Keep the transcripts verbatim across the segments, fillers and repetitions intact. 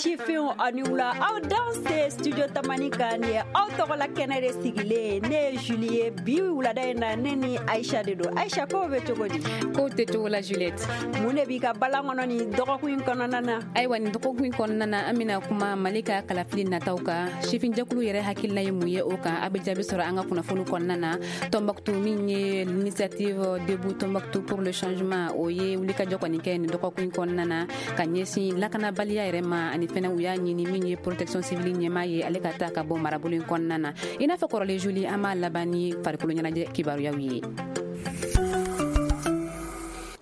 Sifinw, aw ni wula, aw danse Studio Tamani kan. Nin ye aw tɔgɔla kɛnɛ de sigilen. Ne ye Julie ye. Bi wulada in na, ne ni Aisha de don. Aisha, kow bɛ cogo di? Kow tɛ cogo la, Juliette. Mun de b'i ka balan kɔnɔ nin dɔgɔkun in kɔnɔna na? Ayiwa, nin dɔgɔkun in kɔnɔna na, an bɛna kuma Mali ka kalafili nataw kan. Sifinjɛkulu yɛrɛ hakilina ye mun ye o kan? A bɛ jaabi sɔrɔ an ka kunnafoni kɔnɔna na. Tombouctou, min ye l'Initiative Debout Tombouctou pour le changement, o ye wulikajɔ kɔni kɛ nin dɔgɔkun in kɔnɔna na ka ɲɛsin lakanabaliya yɛrɛ ma. Ani fɛnɛ, u y'a ɲini min ye protection civile ɲɛmaa ye, ale ka taa ka bɔ marabolo in kɔnɔna na. I n'a fɔ kɔrɔlen, Julie, an b'a laban ni farikolo ɲɛnajɛ kibaruyaw ye.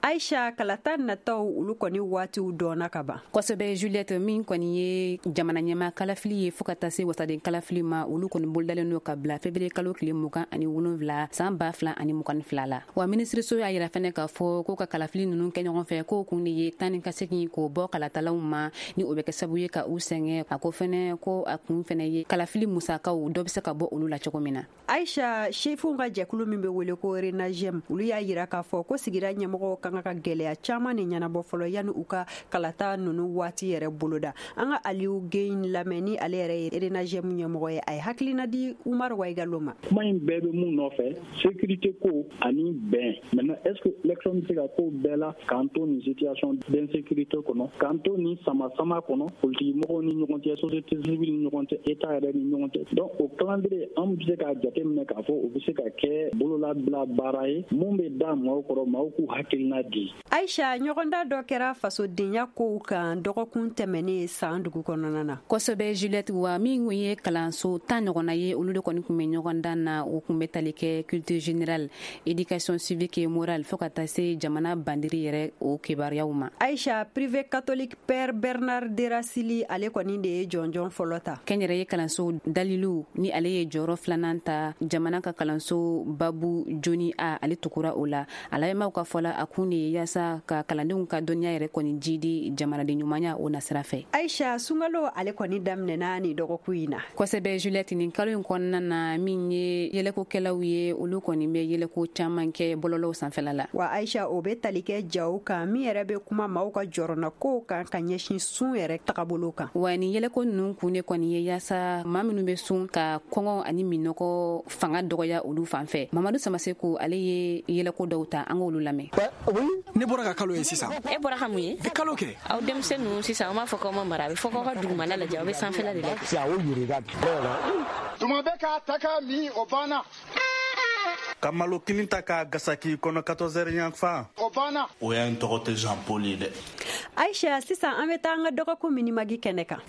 Aisha, kalata nataw, olu kɔni waatiw dɔnna ka ban. Kosɛbɛ, Juliette. Min kɔni ye jamana ɲɛma kalafili ye, fɔɔ ka taa se wasaden kalafili ma, olu kɔni bolodalen don ka bila février kalo tile mugan ani wolonfila san ba fila ani mugan ni fila la. Wa minisiriso y'a yira fɛnɛ k'a fɔ ko ka kalafili nunu kɛ ɲɔgɔn fɛ, k'o kun de ye tan ni ka segin k'o bɔ kalatalaw ma, ni o bɛ kɛ sababu ye ka u sɛgɛn. A ko fɛnɛ ko a kun fɛnɛ ye kalafili musakaw dɔ bɛ se ka bɔ olu la cogo min na. Aisha, sifinw ka jɛkulu min bɛ wele ko Renagem, olu y'a yira k'a fɔ ko sigida ɲɛmɔgɔw kan ka gɛlɛya caman de ɲɛnabɔ fɔlɔ yanni u ka kalata nunu waati yɛrɛ boloda. An ka Aliou Gueye lamɛn, ni ale yɛrɛ ye Renagem ɲɛmɔgɔ ye. A ye hakilina di Umaru Waigalo ma. Kuma in bɛɛ bɛ mun nɔfɛ? Sécurité ko ani bɛn. Maintenant, est ce que élection bɛ se ka ko bɛɛ la k'an to nin situation d'insécurité kɔnɔ, k'an to nin sama-sama kɔnɔ, politique mɔgɔw ni ɲɔgɔn cɛ, société civile ni ɲɔgɔn cɛ, état yɛrɛ ni ɲɔgɔn cɛ? Donc o calendrier, an bɛ se k'a jateminɛ k'a fɔ o bɛ se ka kɛ bololabila baara ye mun bɛ da maaw kɔrɔ, maaw k'u hakilina di. Aisha, ɲɔgɔnda dɔ kɛra fasodenya kow kan dɔgɔkun tɛmɛnen san dugu kɔnɔna na. Kosɛbɛ, Juliette. Wa min kun ye kalanso tan ɲɔgɔnna ye, olu de kɔni kun bɛ ɲɔgɔndan na. O kun bɛ tali kɛ culture générale, éducation civique et morale, fɔɔ ka taa se jamana bandiri yɛrɛ o kibaruyaw ma. Aisha, privé catholique Père Bernard Derasili, ale kɔni de ye jɔnjɔn fɔlɔ ta. Kɛnyɛrɛye kalanso Dalilu, ni ale ye jɔyɔrɔ filanan ta. Jamana ka kalanso Babu Joni a, ale tugura o la. A lamɛnbaaw ka fɔ la, a kun de ye yaasa ka kalandenw ka dɔnniya yɛrɛ kɔni jidi jamanaden ɲumanya o nasira fɛ. Aisha, sunkalo ale kɔni daminɛna ni dɔgɔkun in na. Kosɛbɛ, Juliette. Nin kalo in kɔnɔna na, min ye yɛlɛkokɛlaw ye, olu kɔni bɛ yɛlɛko caman kɛ bɔlɔlɔw sanfɛla la. Wa Aisha, o bɛ tali kɛ jaw kan min yɛrɛ bɛ kuma maaw ka jɔrɔna kow kan ka ɲɛsin sun yɛrɛ tagabolo kan. Wa nin yɛlɛko ninnu kun de kɔni ye yaasa maa minnu bɛ sun ka kɔngɔ ani minɔgɔ fanga dɔgɔya olu fan fɛ. Mamadu Samaseko, ale ye yɛlɛko dɔw ta, an k'olu lamɛn. Ne bɔra ka kalo ye sisan. E bɔra ka mun ye? Kalo kɛ. Aw denmisɛn ninnu sisan, aw m'a fɔ k'aw ma mara, a bɛ fɔ k'aw ka dugumana lajɛ, aw bɛ sanfɛla de lajɛ. Tuma bɛ k'a ta k'a min, o banna. Ka malo kini ta k'a gasaki kɔnɔ quatorze heures yanfan. O banna. O y'an tɔgɔ tɛ Jean Paul ye dɛ. Aisha, sisan an bɛ taa an ka dɔgɔkun minimagi kɛnɛ kan.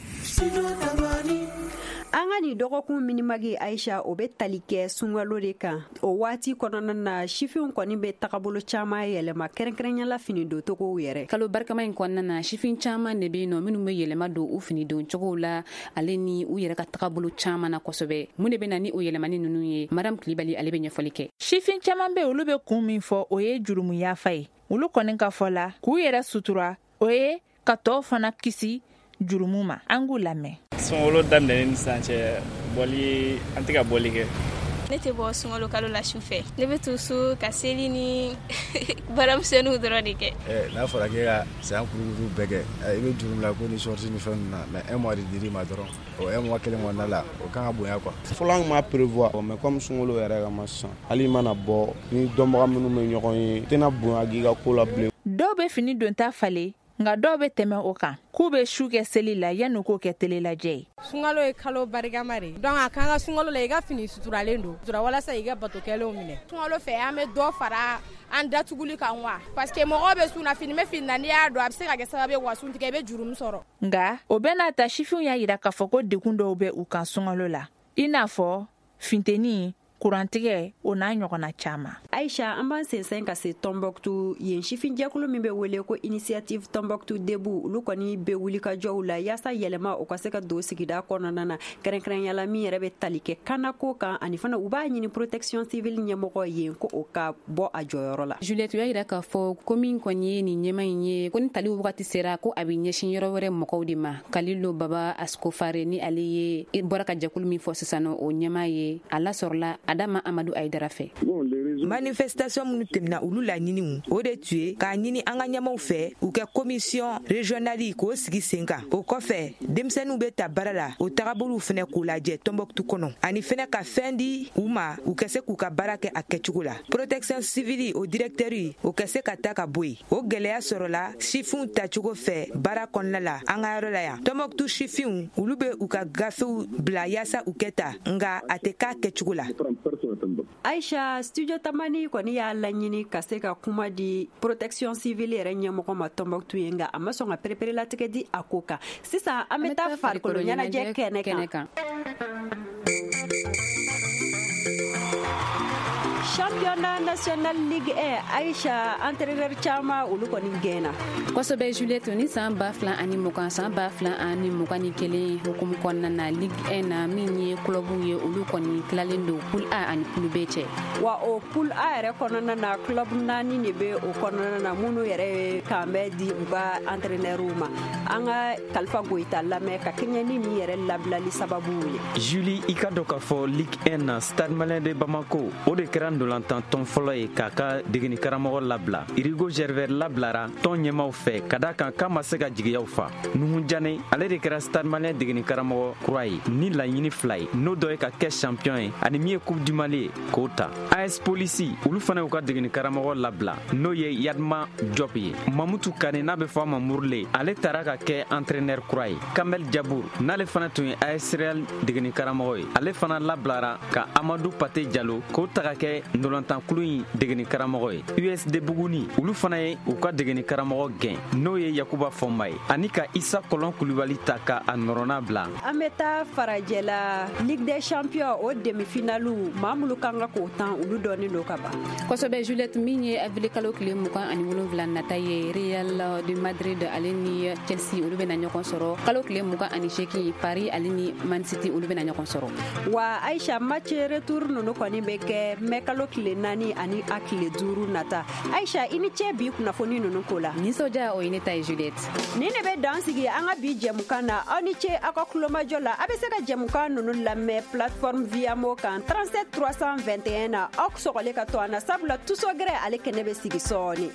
An ka nin dɔgɔkun minimagi, Aisha, o bɛ tali kɛ sunkalo de kan. O waati kɔnɔna na, sifinw kɔni bɛ tagabolo caman yɛlɛma, kɛrɛnkɛrɛnyala fini doncogow yɛrɛ. Kalo barikama in kɔnɔna na, sifin caman de bɛ yen nɔ minnu bɛ yɛlɛma don u fini don cogow la, ale ni u yɛrɛ ka tagabolo caman na kosɛbɛ. Mun de bɛ na ni o yɛlɛmani ninnu ye? Madame Kulibali, ale bɛ ɲɛfɔli kɛ. Sifin caman bɛ, olu bɛ kun min fɔ, o ye jurumu yafa ye. Olu kɔni ka fɔ la, k'u yɛrɛ sutura, o ye ka tɔw fana kisi jurumu ma. An k'u lamɛn. Sunkalo daminɛnen ni sisan cɛ, bɔli, an tɛ ka bɔli kɛ. Ne tɛ bɔ sunkalo kalo la su fɛ. Ne bɛ to so ka seli ni baaramisɛnninw dɔrɔn de kɛ. N'a fɔra k'e ka san kurukuru bɛɛ kɛ, i bɛ juru la ko ni sortie ni fɛn ninnu na, mais un mois de dir'i ma dɔrɔn, o un mois kelen kɔnɔna la, o kan ka bonya quoi. Fɔlɔ an tun b'a prévoir, mais comme sunkalo yɛrɛ kama sisan, hali i mana bɔ ni dɔnbaga minnu bɛ ɲɔgɔn ye, i tɛna bonya k'i ka ko la bilen. Dɔw bɛ fini donta falen, nka dɔw bɛ tɛmɛ o kan, k'u bɛ su kɛ seli la yanni k'o kɛ tele lajɛ ye. Sunkalo ye kalo barikama de, donc a kan ka sunkalo la i ka fini suturalen don sutura walasa i ka bato kɛlenw minɛ. Sunkalo fɛ, an bɛ dɔ fara an datuguli kan wa, parce que mɔgɔw bɛ sun na, fini bɛ fini na, n'i y'a don a bɛ se ka kɛ sababu ye wa sun tigɛ, i bɛ jurumu sɔrɔ. Nka o bɛɛ n'a ta, sifinw y'a yira k'a fɔ ko degun dɔw bɛ u kan sunkalo la, i n'a fɔ funteni, kurantigɛ, o n'a ɲɔgɔnna caman. Aisha, an b'an sensɛn ka se Tombouctou. Yen sifinjɛkulu min bɛ wele ko Initiative Tombouctou Debout, olu kɔni bɛ wulikajɔw la yaasa yɛlɛma o ka se ka don sigida kɔnɔna na, kɛrɛnkɛrɛnyala min yɛrɛ bɛ tali kɛ kanako kan. Ani fana, u b'a ɲini protection civile ɲɛmɔgɔ yen ko o ka bɔ a jɔyɔrɔ la. Juliette, u y'a yira k'a fɔ ko min kɔni ye nin ɲɛma in ye, ko ni taliw wagati sera, ko a bɛ ɲɛsin yɔrɔ wɛrɛ mɔgɔw de ma. Kalilo Baba Askofare, ni ale ye bɔra ka jɛkulu min fɔ sisan nɔ, o ɲɛma ye, a lasɔrɔla Adama Amadou Aïdara fɛ. Bon, les Manifestation minnu tɛmɛna, olu laɲiniw o de tun ye k'a ɲini an ka ɲɛmaw fɛ, u kɛ commission régionale k'o sigi sen kan. O kɔfɛ, denmisɛnninw bɛ ta baara la, o tagabolow fɛnɛ k'o lajɛ Tɔnbɔkutu kɔnɔ, ani fɛnɛ ka fɛn di u ma, u ka se k'u ka baara kɛ a kɛcogo la. Protection civile, o directeur, o ka se ka ta ka bɔ yen. O gɛlɛya sɔrɔla sifinw tacogo fɛ baara kɔnɔna la an ka yɔrɔ la yan. Tɔnbɔkutu sifinw, olu bɛ u ka gafew bila yaasa u kɛ ta, nka a tɛ k'a kɛcogo la. Aisha, Studio Tamani kɔni y'a laɲini ka se ka kuma di protection civile yɛrɛ ɲɛmɔgɔ ma Tɔnbɔkutu ye, nka a ma sɔn ka pereperelatigɛ di a ko kan. Sisan an bɛ taa farikolo ɲɛnajɛ kɛnɛ kan. Championnat national Ligue un, Aisha, entraîneur caman, olu kɔni gɛnna. Kosɛbɛ Juliette, ni san ba fila ani mugan, san ba fila ani mugan ni kelen hukumu kɔnɔna na, Ligue un na, min ye club ye, olu kɔni tilalen don poule A ani poule B cɛ. Wa o poule A yɛrɛ kɔnɔna na, club naani de bɛ o kɔnɔna na, minnu yɛrɛ ye kanbɛn di u ka entraîneur ma. An ka Kalifa Goyita lamɛn ka kɛɲɛ ni nin yɛrɛ labilali sababu ye. Julie, i ka dɔn k'a fɔ Ligue un na, Stade Malien de Bamako, o de kɛra ndolantan tɔn fɔlɔ ye k'a ka degeni karamɔgɔ labila. Irigo Gervais labilara tɔn ɲɛmaw fɛ ka da kan k'a ma se ka jigiyaw fa. Nuhu Jane, ale de kɛra Stade Malien degeni karamɔgɔ kura ye ni laɲini fila ye, n'o dɔ ye ka kɛ champion ye ani min ye Coupe du Mali ye k'o ta. A S Polisi, olu fana y'u ka degeni karamɔgɔ labila, n'o ye Yadma Diop ye. Mamutu Kane, n'a bɛ fɔ a ma Murule, ale taara ka kɛ entraîneur kura ye. Kamel Jabour, n'ale fana tun ye A S Real degeni karamɔgɔ ye, ale fana labilara ka Amadou Pate Jalo k'o ta ka kɛ ndolantankulu in degeni karamɔgɔ ye. U S D Buguni, olu fana ye u ka degeni karamɔgɔ gɛn, n'o ye Yakuba Fɔnba ye, ani ka Isa Kɔlɔn Kulubali ta ka a nɔrɔna bila. An bɛ taa farajɛla, Ligue des champions, o demi-finale, maa minnu kan ka k'o tan, olu dɔnnen don ka ban. Kosɛbɛ Juliette, min ye avril kalo tile mugan ani wolonwula nata ye, Real de Madrid ale ni Chelsea, olu bɛna ɲɔgɔn sɔrɔ. Kalo tile mugan ani seegin, Paris ale ni Man City, olu bɛna ɲɔgɔn sɔrɔ. Wa Aisha, match retour ninnu kɔni bɛ kɛ mɛ kalo tile naani ani a tile duuru nata. Aisha, i ni ce bi kunnafoni ninnu ko la. Nisɔndiya, o ye ne ta ye, Juliette. Nin de bɛ dan sigi an ka bi jɛmukan na. Aw ni ce aw ka kulomajɔ la. A bɛ se ka jɛmukan ninnu lamɛn plateforme Viamo kan trente-sept trois cent vingt et un na. Aw sɔgɔlen ka to an na, sabula tusogɛrɛ ale kɛnɛ bɛ sigi sɔɔni.